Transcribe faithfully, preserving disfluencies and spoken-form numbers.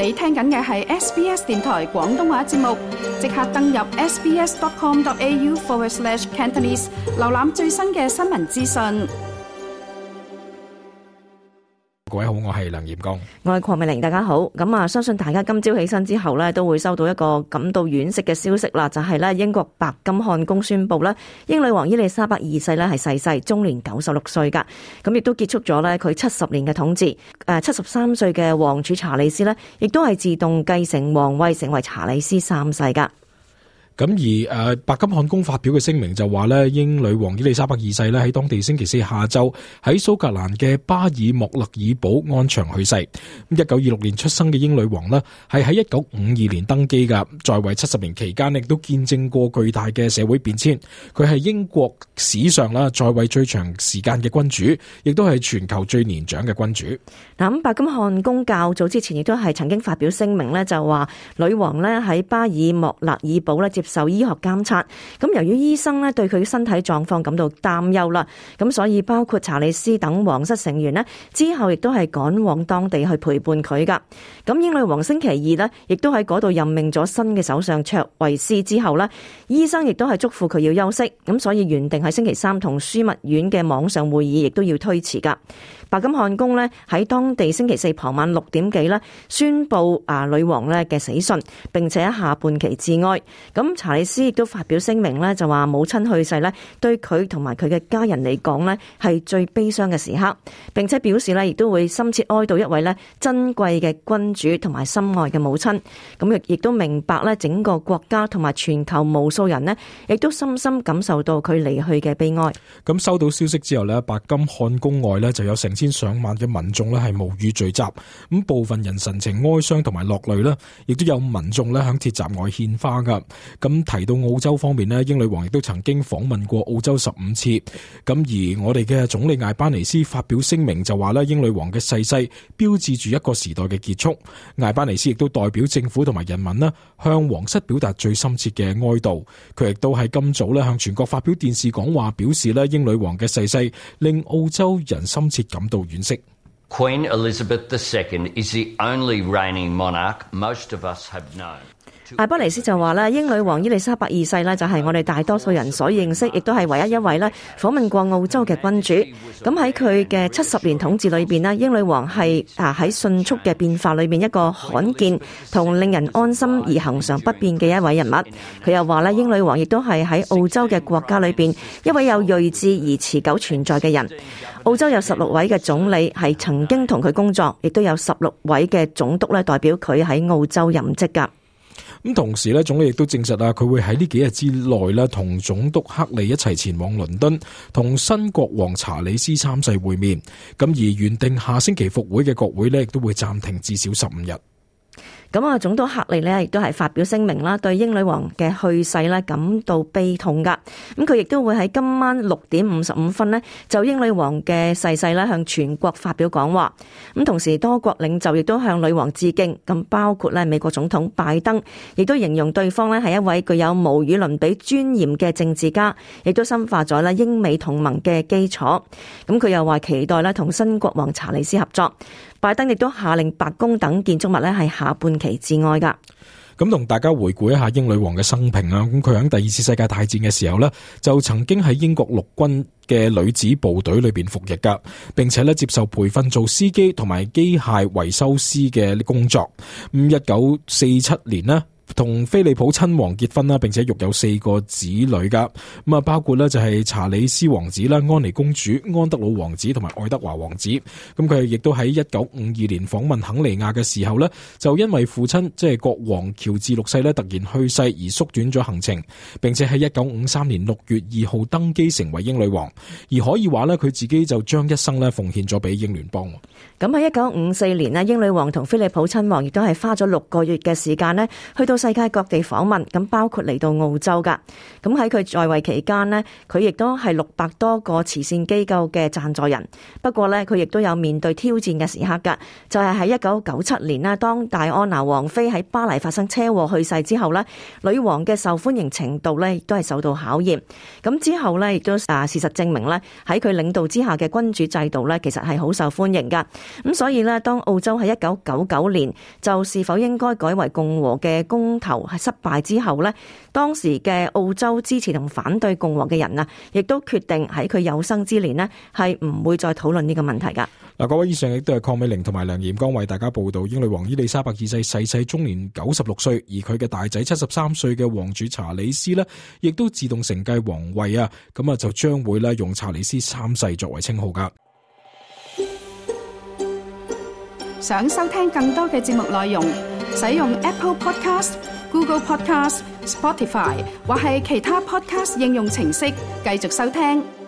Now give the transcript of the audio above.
你聽緊嘅係 S B S 電台廣東話節目，即刻登入 sbs.com.au forward slash Cantonese， 瀏覽最新嘅新聞資訊。各位好，我係梁炎光，我係鄺美玲，大家好。咁啊，相信大家今朝起身之後呢，都會收到一個感到惋惜嘅消息啦，就係呢英國白金漢宮宣布呢，英女王伊麗莎白二世呢係逝世，終年九十六歲噶。咁亦都結束咗呢佢七十年嘅統治。誒，七十三歲嘅王儲查理斯呢，亦都係自動繼承皇位，成為查理斯三世噶。咁而誒白金漢宮發表嘅聲明就話咧，英女王伊麗莎白二世咧喺當地星期四下晝喺蘇格蘭嘅巴爾莫勒爾堡安詳去世。咁一九二六年出生嘅英女王咧，係喺一九五二年登基噶，在位七十年期間亦都見證過巨大嘅社會變遷。佢係英國史上啦在位最長時間嘅君主，亦都係全球最年長嘅君主。嗱，咁白金漢宮較早之前亦都係曾經發表聲明咧，就話女王咧喺巴爾莫勒爾堡咧接受醫學監察，咁由於醫生咧對佢身體狀況感到擔憂啦，咁所以包括查理斯等皇室成員咧之後亦都係趕往當地去陪伴佢噶。咁英女王星期二咧亦都喺嗰度任命咗新嘅首相卓維斯之後咧，醫生亦都係囑咐佢要休息，咁所以原定喺星期三同樞密院嘅網上會議亦都要推遲噶。白金漢宮咧喺當地星期四傍晚六點幾咧宣布啊女王咧嘅死訊，並且下半旗致哀。咁查理斯亦都發表聲明咧，就話母親去世咧對佢同埋佢嘅家人嚟講咧係最悲傷嘅時刻，並且表示咧亦都會深切哀悼一位咧珍貴嘅君主同埋心愛嘅母親。咁亦亦都明白咧整個國家同埋全球無數人咧亦都深深感受到佢離去嘅悲哀。咁收到消息之後咧，白金漢宮外咧就有成千上萬嘅民眾咧係無語聚集，咁部分人神情哀傷同埋落淚啦，亦都有民眾咧響鐵閘外獻花噶。咁提到澳洲方面咧，英女王亦都曾經訪問過澳洲十五次。咁而我哋嘅總理艾班尼斯發表聲明就話咧，英女王嘅逝世標誌住一個時代嘅結束。艾班尼斯亦都代表政府同埋人民咧向皇室表達最深切嘅哀悼。佢亦都喺今早咧向全國發表電視講話，表示咧英女王嘅逝世令澳洲人深切感到惋惜。Queen Elizabeth the Second is the only reigning monarch most of us have known。艾巴尼斯就話咧，英女王伊麗莎白二世咧就係我哋大多數人所認識，亦都係唯一一位咧訪問過澳洲嘅君主。咁喺佢嘅七十年統治裏邊咧，英女王係啊喺迅速嘅變化裏面一個罕見同令人安心而恆常不變嘅一位人物。佢又話咧，英女王亦都係喺澳洲嘅國家裏邊一位有睿智而持久存在嘅人。澳洲有十六位嘅總理係曾經同佢工作，亦都有十六位嘅總督咧代表佢喺澳洲任職噶。咁同時咧，總理亦都證實啊，佢會喺呢幾日之內咧，同總督克利一齊前往倫敦，同新國王查理斯三世會面。咁而原定下星期復會嘅國會咧，亦都會暫停至少十五日。咁啊，總督克利呢亦都係發表聲明啦，對英女王嘅去世呢感到悲痛噶。咁佢亦都會喺今晚六點五十五分呢就英女王嘅逝世呢向全國發表講話。咁同時多國領袖亦都向女王致敬，咁包括呢美國總統拜登，亦都形容對方呢係一位具有無與倫比尊嚴嘅政治家，亦都深化咗呢英美同盟嘅基礎。咁佢又話期待呢同新國王查理斯合作。拜登亦都下令白宮等建築物咧係下半旗致哀噶。咁同大家回顧一下英女王嘅生平啦。咁佢喺第二次世界大戰嘅時候呢，就曾經喺英國陸軍嘅女子部隊裏邊服役噶，並且咧接受培訓做司機同埋機械維修師嘅工作。咁一九四七年呢，同菲利普親王結婚啦，並且育有四個子女噶。咁啊，包括咧就係查理斯王子啦、安妮公主、安德魯王子同埋愛德華王子。咁佢亦都喺一九五二年訪問肯尼亞嘅時候咧，就因為父親即係國王喬治六世咧突然去世而縮短咗行程，並且喺一九五三年六月二號登基成為英女王。而可以話咧，佢自己就將一生咧奉獻咗俾英聯邦。咁喺一九五四年咧，英女王同菲利普親王亦都係花咗六個月嘅時間咧，去到世界各地訪問，咁包括嚟到澳洲噶。咁喺佢在位期間呢，佢亦都係六百多個慈善機構嘅贊助人。不過呢，佢亦都有面對挑戰嘅時刻噶，就係喺一九九七年呢，當戴安娜王妃喺巴黎發生車禍去世之後呢，女王嘅受歡迎程度呢亦都係受到考驗。咁之後呢，亦都啊事實證明呢，喺佢領導之下嘅君主制度呢，其實係好受歡迎噶。咁所以呢，當澳洲喺一九九九年就是否應該改為共和嘅公投係失敗之後呢，當時嘅澳洲支持同反對共和嘅人啊，亦都決定喺佢有生之年呢，係唔會再討論呢個問題噶。嗱，各位，以上亦都係鄺美玲同埋梁炎光為大家報道英女王伊麗莎白二世逝世終年九十六歲，而佢嘅大仔七十三歲嘅王儲查理斯呢，亦都自動承繼皇位啊，咁啊就將會咧用查理斯三世作為稱號噶。想收聽更多嘅節目內容，使用 Apple Podcast、Google Podcast、Spotify 或係其他 Podcast 應用程式繼續收聽。